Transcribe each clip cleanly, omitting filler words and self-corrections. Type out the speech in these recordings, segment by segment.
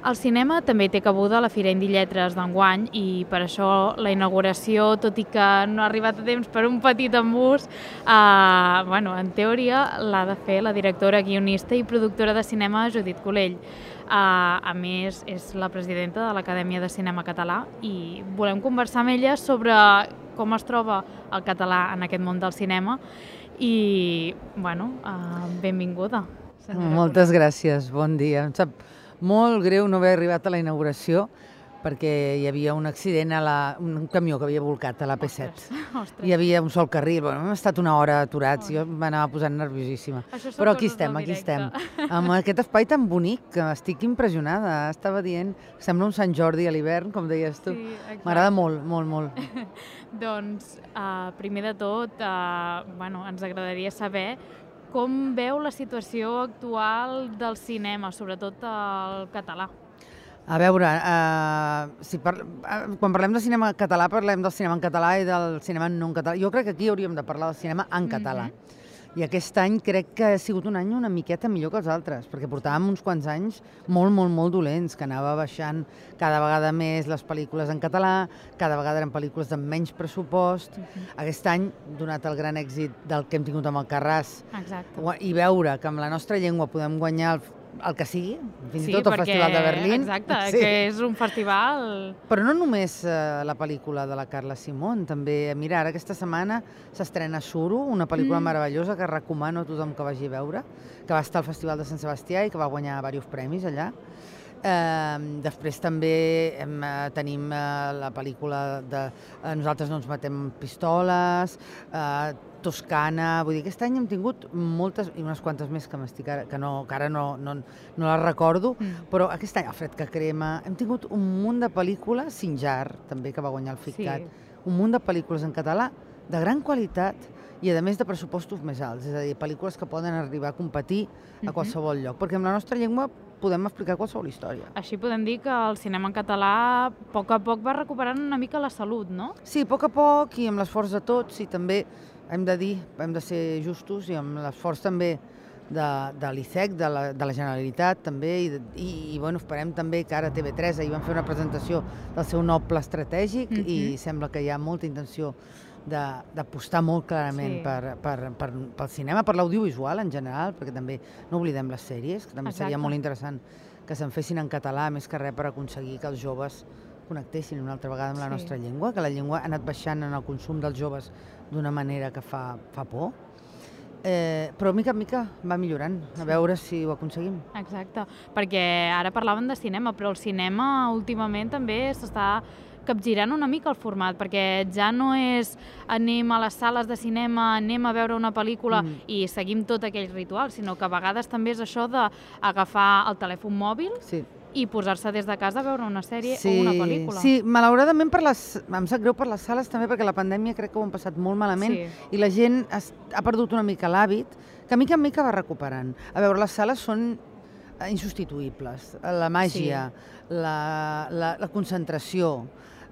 El cinema també té cabuda a la Fira Indie Lletres d'enguany i per això la inauguració, tot i que no ha arribat a temps per un petit embús, en teoria l'ha de fer la directora, guionista i productora de cinema Judit Colell. A més, és la presidenta de l'Acadèmia de Cinema Català i volem conversar amb ella sobre com es troba el català en aquest món del cinema i, benvinguda. Moltes gràcies, bon dia. Em sap molt greu no haver arribat a la inauguració perquè hi havia un accident, un camió que havia volcat a la P7. Hi havia un sol carril, hem estat una hora aturats, jo m'anava posant nerviosíssima. Però aquí estem. Amb aquest espai tan bonic que estic impressionada. Estava dient, sembla un Sant Jordi a l'hivern, com deies tu. M'agrada molt, molt, molt. Doncs, primer de tot, ens agradaria saber com veu la situació actual del cinema, sobretot el català. A veure, quan parlem de cinema català, parlem del cinema en català i del cinema no en català. Jo crec que aquí hauríem de parlar del cinema en català. I aquest any crec que ha sigut un any una miqueta millor que els altres, perquè portàvem uns quants anys molt, molt, molt dolents, que anava baixant cada vegada més les pel·lícules en català, cada vegada eren pel·lícules de menys pressupost. Aquest any, donat el gran èxit del que hem tingut amb el Carràs, i veure que amb la nostra llengua podem guanyar el que sigui, fins i tot el Festival de Berlín. Exacte, que és un festival... Però no només la pel·lícula de la Carla Simón, també, mira, ara aquesta setmana s'estrena Suro, una pel·lícula meravellosa que recomano a tothom que vagi a veure, que va estar al Festival de Sant Sebastià i que va guanyar diversos premis allà. Després també tenim la pel·lícula de Nosaltres no ens matem pistoles, Toscana, vull dir, aquest any hem tingut moltes, i unes quantes més que ara no les recordo, però aquest any, El fred que crema, hem tingut un munt de pel·lícules, Sinjar, també, que va guanyar el FICCAT, un munt de pel·lícules en català de gran qualitat i, a més, de pressupostos més alts, és a dir, pel·lícules que poden arribar a competir a qualsevol lloc, perquè amb la nostra llengua podem explicar qualsevol història. Així podem dir que el cinema en català a poc va recuperant una mica la salut, no? Sí, a poc i amb l'esforç de tots, i també hem de ser justos, i amb l'esforç també de l'ICEC, de la Generalitat també, i esperem també que ara TV3 ahir van fer una presentació del seu nou pla estratègic i sembla que hi ha molta intenció d'apostar molt clarament pel cinema, per l'audiovisual en general, perquè també no oblidem les sèries, que també seria molt interessant que se'n fessin en català, més que res per aconseguir que els joves connectessin una altra vegada amb la nostra llengua, que la llengua ha anat baixant en el consum dels joves d'una manera que fa por. Però mica en mica va millorant, a veure si ho aconseguim. Exacte, perquè ara parlaven de cinema, però el cinema últimament també s'està capgirant una mica el format, perquè ja no és anem a les sales de cinema, anem a veure una pel·lícula i seguim tot aquell ritual, sinó que a vegades també és això d'agafar el telèfon mòbil i posar-se des de casa a veure una sèrie o una pel·lícula. Sí, malauradament em sap greu per les sales també, perquè la pandèmia crec que ho han passat molt malament i la gent ha perdut una mica l'hàbit, que mica en mica va recuperant. A veure, les sales són insubstituïbles. La màgia, la concentració,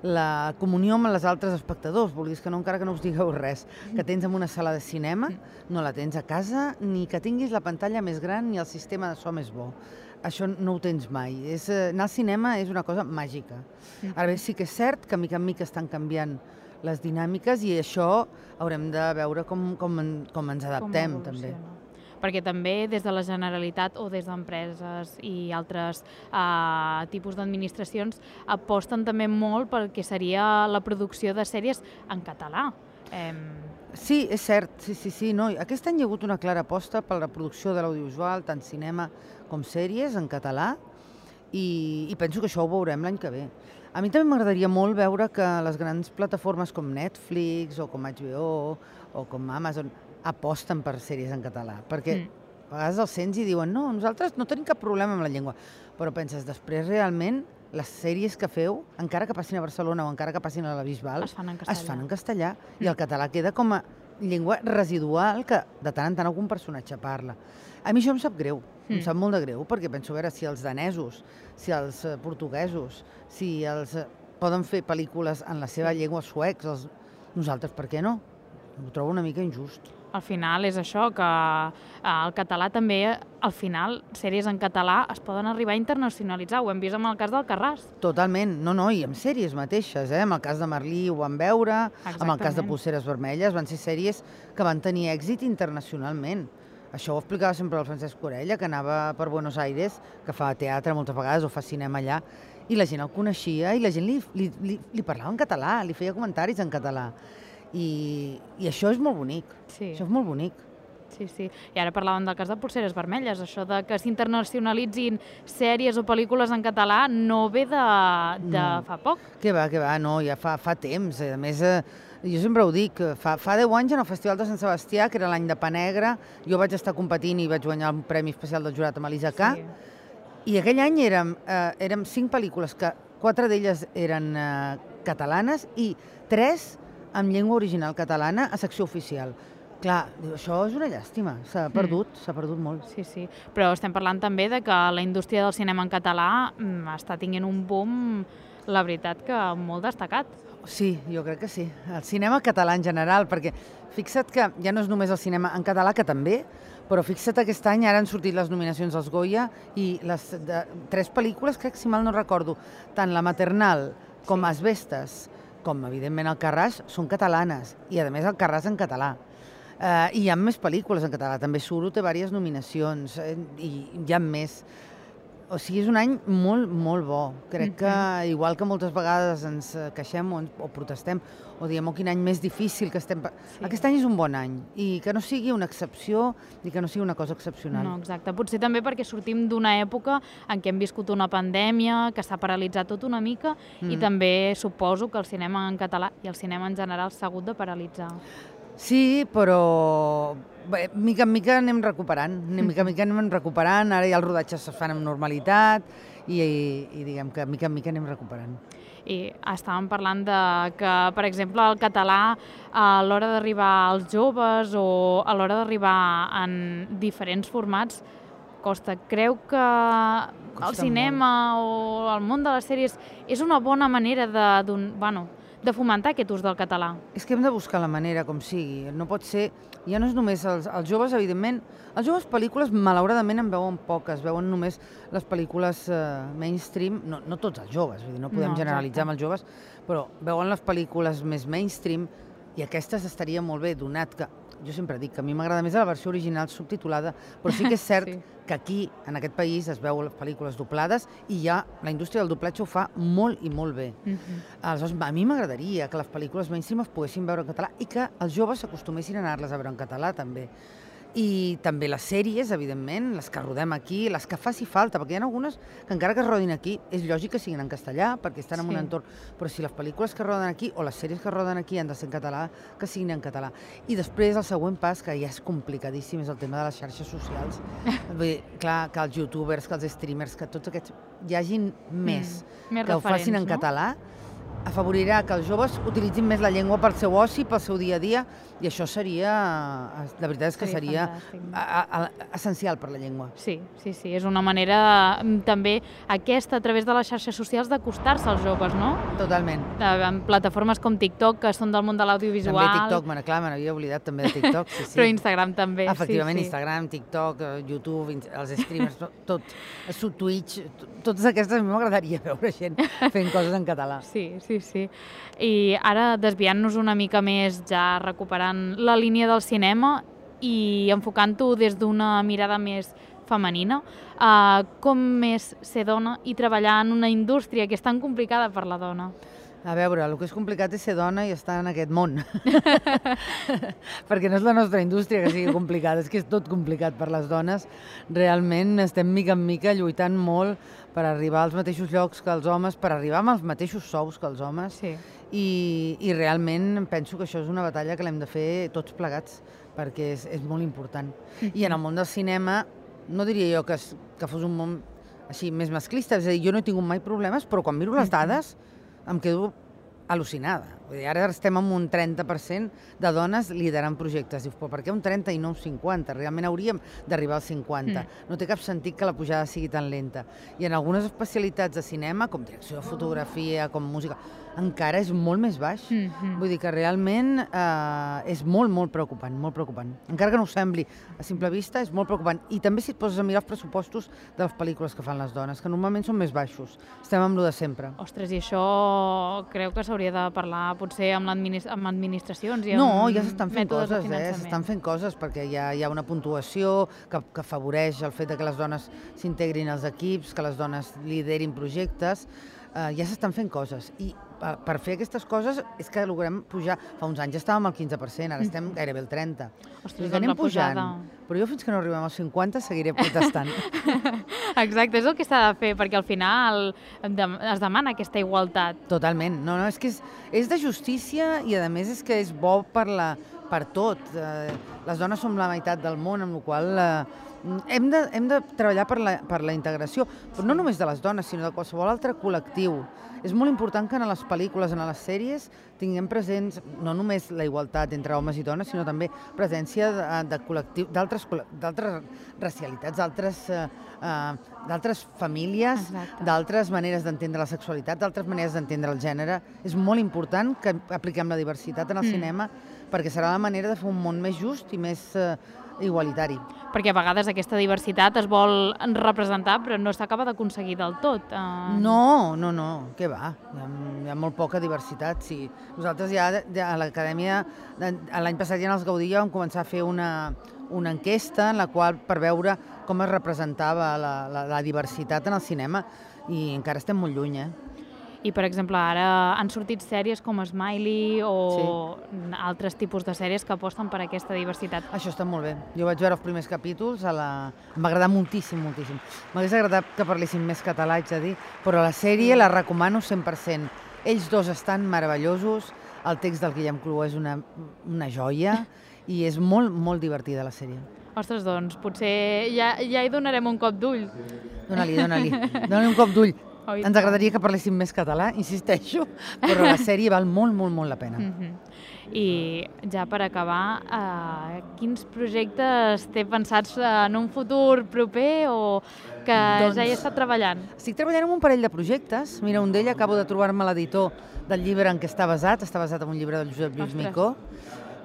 la comunió amb els altres espectadors, vulguis que no, encara que no us digueu res, que tens en una sala de cinema, no la tens a casa, ni que tinguis la pantalla més gran ni el sistema de so més bo. Això no ho tens mai. Anar al cinema és una cosa màgica. Ara bé, sí que és cert que mica en mica estan canviant les dinàmiques i això haurem de veure com ens adaptem també. Perquè també des de la Generalitat o des d'empreses i altres tipus d'administracions aposten també molt pel que seria la producció de sèries en català. Sí, és cert, sí. Aquest any hi ha hagut una clara aposta per la producció de l'audiovisual, tant cinema com sèries en català, i penso que això ho veurem l'any que ve. A mi també m'agradaria molt veure que les grans plataformes com Netflix o com HBO o com Amazon aposten per sèries en català, perquè a vegades els sents i diuen no, nosaltres no tenim cap problema amb la llengua, però penses, després realment les sèries que feu, encara que passin a Barcelona o encara que passin a la Bisbal, es fan en castellà i el català queda com a llengua residual que de tant en tant algun personatge parla. A mi això em sap greu, em sap molt de greu, perquè penso, a veure, si els danesos, si els portuguesos, si els poden fer pel·lícules en la seva llengua suecs, nosaltres per què no? Ho trobo una mica injust. al final és això, que el català també, al final, sèries en català es poden arribar a internacionalitzar. Ho hem vist amb el cas d'Alcarràs. Totalment. No, i amb sèries mateixes, eh? Amb el cas de Merlí ho vam veure, amb el cas de Polseres Vermelles, van ser sèries que van tenir èxit internacionalment. Això ho explicava sempre el Francesc Orella, que anava per Buenos Aires, que fa teatre moltes vegades o fa cinema allà, i la gent el coneixia i la gent li parlava en català, li feia comentaris en català. I això és molt bonic. Sí. Això és molt bonic. Sí. I ara parlàvem del cas de Polseres Vermelles, això de que s'internacionalitzin sèries o pel·lícules en català no ve de fa poc. Què va, no, ja fa temps. A més, jo sempre ho dic, fa 10 anys en el Festival de Sant Sebastià, que era l'any de Pa Negre, jo vaig estar competint i vaig guanyar un premi especial del jurat amb Elisa K. I aquell any érem 5 pel·lícules, que 4 d'elles eren catalanes i 3 amb llengua original catalana a secció oficial. Clar, això és una llàstima, s'ha perdut molt. Sí, però estem parlant també de que la indústria del cinema en català està tinguent un boom, la veritat, que molt destacat. Sí, jo crec que sí. El cinema català en general, perquè fixa't que ja no és només el cinema en català, que també, però fixa't aquest any, ara han sortit les nominacions als Goya i les 3 pel·lícules, crec, si mal no recordo, tant La Maternal com Asbestes, com evidentment Alcarràs, són catalanes, i a més Alcarràs en català. I hi ha més pel·lícules en català, també Suro té diverses nominacions, i hi ha més. O sigui, és un any molt, molt bo. Crec que, igual que moltes vegades ens queixem o protestem, o diem, quin any més difícil que estem... Aquest any és un bon any, i que no sigui una excepció i que no sigui una cosa excepcional. No, exacte. Potser també perquè sortim d'una època en què hem viscut una pandèmia, que s'ha paralitzat tot una mica, i també suposo que el cinema en català i el cinema en general s'ha hagut de paralitzar. Sí, però bé, mica en mica anem recuperant, ara ja els rodatges es fan amb normalitat i diguem que mica en mica anem recuperant. I estàvem parlant de que, per exemple, el català a l'hora d'arribar als joves o a l'hora d'arribar en diferents formats costa. Creu que el cinema o el món de les sèries és una bona manera de fomentar aquest ús del català? És que hem de buscar la manera, com sigui. No pot ser... Ja no és només els joves, evidentment. Els joves pel·lícules, malauradament, en veuen poques. Veuen només les pel·lícules mainstream. No tots els joves, vull dir, no podem generalitzar amb els joves, però veuen les pel·lícules més mainstream i aquestes estaria molt bé, donat que... Jo sempre dic que a mi m'agrada més la versió original subtitulada, però sí que és cert que aquí, en aquest país, es veuen les pel·lícules doblades i ja la indústria del doblatge ho fa molt i molt bé. Aleshores, a mi m'agradaria que les pel·lícules mainstream es poguessin veure en català i que els joves s'acostumessin a anar-les a veure en català, també. I també les sèries, evidentment, les que rodem aquí, les que faci falta, perquè hi ha algunes que encara que es rodin aquí, és lògic que siguin en castellà, perquè estan en un entorn, però si les pel·lícules que roden aquí o les sèries que roden aquí han de ser en català, que siguin en català. I després el següent pas, que ja és complicadíssim, és el tema de les xarxes socials. Vull dir, clar, que els youtubers, que els streamers, que tots aquests hi hagin més que ho facin en català, afavorirà que els joves utilitzin més la llengua pel seu oci, pel seu dia a dia, i això seria, la veritat és que seria essencial per la llengua. Sí, és una manera també aquesta, a través de les xarxes socials, d'acostar-se als joves, no? Totalment. En plataformes com TikTok, que són del món de l'audiovisual. També TikTok, clar, me n'havia oblidat també de TikTok. Però Instagram també. Efectivament, Instagram, TikTok, YouTube, els streamers, tot, Twitch, totes aquestes, a mi m'agradaria veure gent fent coses en català. Sí. I ara, desviant-nos una mica més, ja recuperant la línia del cinema i enfocant-ho des d'una mirada més femenina, com és ser dona i treballar en una indústria que és tan complicada per la dona? A veure, el que és complicat és ser dona i estar en aquest món. Perquè no és la nostra indústria que sigui complicada, és que és tot complicat per les dones. Realment estem mica en mica lluitant molt per arribar als mateixos llocs que els homes, per arribar amb els mateixos sous que els homes. I realment penso que això és una batalla que l'hem de fer tots plegats, perquè és molt important. I en el món del cinema, no diria jo que fos un món així més masclista, és a dir, jo no he tingut mai problemes, però quan miro les dades em quedo al·lucinada. Vull dir, ara estem amb un 30% de dones liderant projectes. Dius, però per què un 30 i no un 50? Realment hauríem d'arribar al 50. No té cap sentit que la pujada sigui tan lenta. I en algunes especialitats de cinema, com direcció de fotografia, com música, encara és molt més baix. Vull dir que realment és molt, molt preocupant, molt preocupant. Encara que no ho sembli a simple vista, és molt preocupant. I també si et poses a mirar els pressupostos de les pel·lícules que fan les dones, que normalment són més baixos. Estem amb lo de sempre. Ostres, i això creu que s'hauria de parlar potser amb administracions i amb No, ja s'estan fent mètodes de coses, finançament. s'estan fent coses perquè hi ha una puntuació que afavoreix el fet que les dones s'integrin als equips, que les dones liderin projectes. Ja s'estan fent coses i per fer aquestes coses és que logrem pujar. Fa uns anys estàvem al 15%, ara estem gairebé al 30%. Ostres, Anem la pujada. pujant, però jo fins que no arribem als 50 seguiré protestant. Exacte, és el que s'ha de fer, perquè al final es demana aquesta igualtat. Totalment. No, és que és de justícia i a més és que és bo per tot. Les dones som la meitat del món, amb la qual cosa hem de treballar per la integració, però no només de les dones, sinó de qualsevol altre col·lectiu. És molt important que en les pel·lícules, en les sèries, tinguem presents no només la igualtat entre homes i dones, sinó també presència de col·lectius, d'altres racialitats, d'altres famílies, d'altres maneres d'entendre la sexualitat, d'altres maneres d'entendre el gènere. És molt important que apliquem la diversitat en el cinema perquè serà la manera de fer un món més just i més igualitari. Perquè a vegades aquesta diversitat es vol representar però no s'acaba d'aconseguir del tot. No, què va? Hi ha molt poca diversitat. Sí. Nosaltres ja a l'Acadèmia, l'any passat ja en els Gaudí vam començar a fer una enquesta en la qual per veure com es representava la diversitat en el cinema i encara estem molt lluny, I, per exemple, ara han sortit sèries com Smiley o altres tipus de sèries que aposten per aquesta diversitat. Això està molt bé. Jo vaig veure els primers capítols, em va agradar moltíssim, moltíssim. M'hagués agradat que parlessin més català, haig de dir, però la sèrie la recomano 100%. Ells dos estan meravellosos, el text del Guillem Clua és una joia i és molt, molt divertida la sèrie. Ostres, doncs, potser ja hi donarem un cop d'ull. Dóna-li un cop d'ull. Ens agradaria que parléssim més català, insisteixo, però la sèrie val molt, molt, molt la pena. I ja per acabar, quins projectes té pensats en un futur proper o que ja hi està treballant? Estic treballant en un parell de projectes. Mira, un d'ells acabo de trobar-me l'editor del llibre en què està basat en un llibre del Josep Lluís Micó,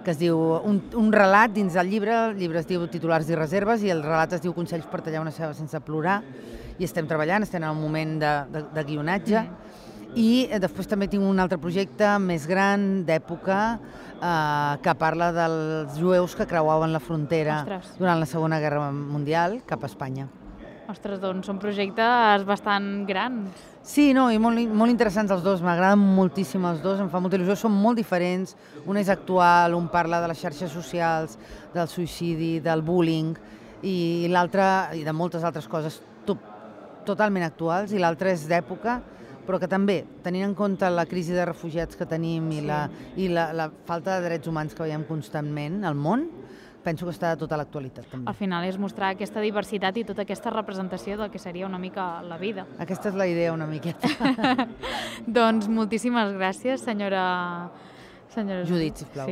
que es diu un relat dins del llibre. El llibre es diu Titulars i reserves i el relat es diu Consells per tallar una ceba sense plorar. I estem treballant, estem en un moment de guionatge. I després també tinc un altre projecte més gran, d'època, que parla dels jueus que creuaven la frontera durant la Segona Guerra Mundial cap a Espanya. Ostres, doncs són projectes bastant grans. Sí, no, i molt interessants els dos, m'agraden moltíssim els dos, em fa molta il·lusió, són molt diferents, un és actual, un parla de les xarxes socials, del suïcidi, del bullying, i l'altre, i de moltes altres coses totalment actuals, i l'altre és d'època, però que també, tenint en compte la crisi de refugiats que tenim i la falta de drets humans que veiem constantment al món, penso que està a tota l'actualitat, també. Al final és mostrar aquesta diversitat i tota aquesta representació del que seria una mica la vida. Aquesta és la idea, una miqueta. Doncs moltíssimes gràcies, senyora Judit, sisplau.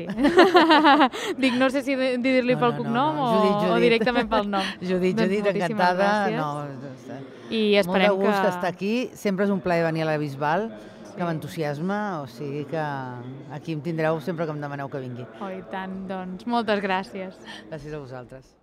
Dic, no sé si dir-li pel cognom o directament pel nom. Judit, encantada. I esperem que... Molt de gust estar aquí. Sempre és un plaer venir a la Bisbal, que m'entusiasma, o sigui que aquí em tindreu sempre que em demaneu que vingui. Oh, i tant, doncs moltes gràcies. Gràcies a vosaltres.